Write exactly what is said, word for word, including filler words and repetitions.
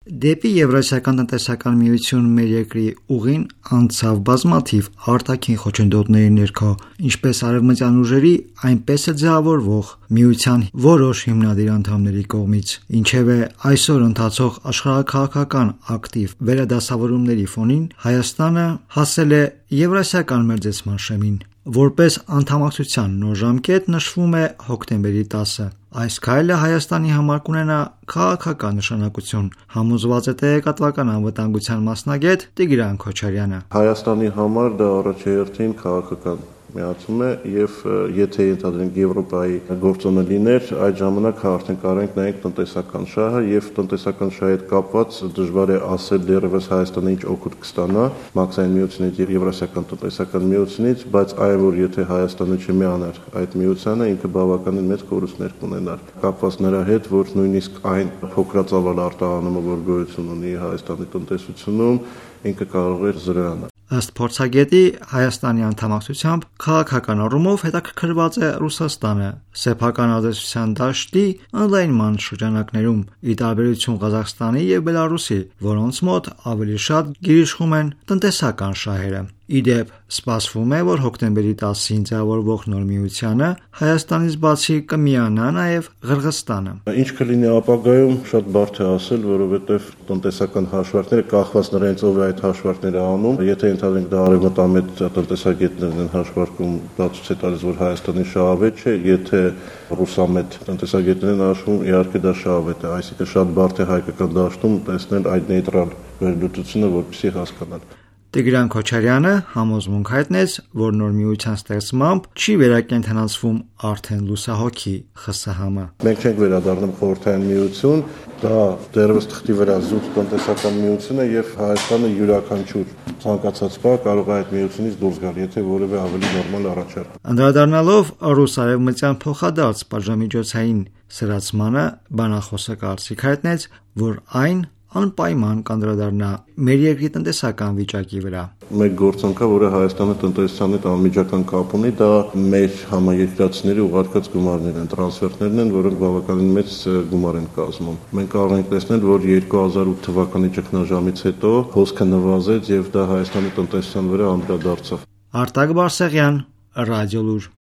Դեպի Եվրասիական տնտեսական միություն մեր երկրի ուղին անցավ բազմաթիվ արտաքին խոչընդոտների ներքո, ինչպես արևմտյան ուժերի, այնպես էլ ձևավորվող միության որոշ հիմնադիր անդամների կողմից, ինչևէ այսօր ընթացող աշխարհաքաղաքական ակտիվ վերադասավորումների ֆոնին Հայաստանը հասել է Եվրասիական մերձեցման շեմին։ Որպես անդամակցության նոր ժամկետ նշվում է հոկտեմբերի տասը։ Այս քայլը Հայաստանի համար կունենա քաղաքական նշանակություն, համոզված է տեղեկատվական անվտանգության մասնագետ Տիգրան Քոչարյանը։ Հայաստանի համար դա առաջերտին քաղաքական միացում է եւ եթե ենթադրենք Եվրոպայի գործոնը լիներ, այդ ժամանակ արդեն կարող ենք նայենք տնտեսական շահը եւ տնտեսական շահի հետ կապված դժվար է ասել դեռևս Հայաստանը ինչ օգուտ կստանա մաքսային միությունից եւ Եվրասիական տնտեսական միությունից, բայց այն որ եթե Հայաստանը չմիանար այդ միությանը, ինքը բավականին մեծ կորուստներ կունենար, կապված նրա հետ, որ նույնիսկ այն փոքրածավալ արտահանումը, որ գոյություն ունի Հայաստանի տնտեսությունում, ինքը կարող է զրոյանալ։ Ըստ փորձագետի, Հայաստանի անդամակցությամբ քաղաքական առումով հետաքրքրված է Ռուսաստանը սեփական ազդեցության դաշտի ընդլայնման շրջանակներում, ի տարբերություն Ղազախստանի եւ Բելարուսի, որոնց մոտ ավելի շատ գերիշխում են տնտեսական շահերը։ Ի դեպ, սպասվում է, որ հոկտեմբերի տասին ձևավորվող նոր միությանը Հայաստանից բացի կմիանա նաև Ղրղըզստանը։ Ինչ կլինի ապագայում, շատ բարդ է ասել, որովհետև տնտեսական հաշվարկները կախված նրանից ով է այդ հաշվարկները անում, եթե ընդհանրենք դա արևմտամետ տնտեսագետներն են հաշվարկում, դա ցույց է տալիս, որ Հայաստանի շահավետ չէ, եթե ռուսամետ տնտեսագետներն հաշվում, իհարկե դա շահավետ է, այսինքն շատ բարդ է հայկական դաշտում տեսնել այդ նեյտրալ վերլուծությունը, որպեսզի հասկանալ։ Տիգրան Քոչարյանը համոզմունք հայտնեց, որ նոր միության ստեղծմամբ չի վերակենդանացվում արդեն լուսահոգի ԽՍՀՄ։ Մենք չենք վերադառնում խորհրդային միություն, դա դեռևս թղթի վրա զուտ տնտեսական միություն է եւ Հայաստանը յուրաքանչյուր ցանկացած բան կարող է այդ միությունից դուրս գալ, եթե որևէ ավելի նորմալ առաջարկ։ Անդրադառնալով ռուս-արևմտյան փոխադարձ պատժամիջոցային սրացմանը, բանախոսը կարծիք հայտնեց, որ այն անպայման կանդրադառնա մեր երկրի տնտեսական վիճակի վրա։ Մեկ գործոնքա, որը Հայաստանի տնտեսության հետ անմիջական կապ ունի, դա մեր համայնքացիների ուղարկած գումարներն են, տրանսֆերտներն են, որոնք բավականին մեծ գումար են կազմում։ Մենք կարող ենք տեսնել, որ երկու հազար ութ թվականի ճգնաժամից հետո հոսքը նվազեց եւ դա Հայաստանի տնտեսության վրա անդրադարձավ։ Արտակ Բարսեղյան, Ռադիոլուր։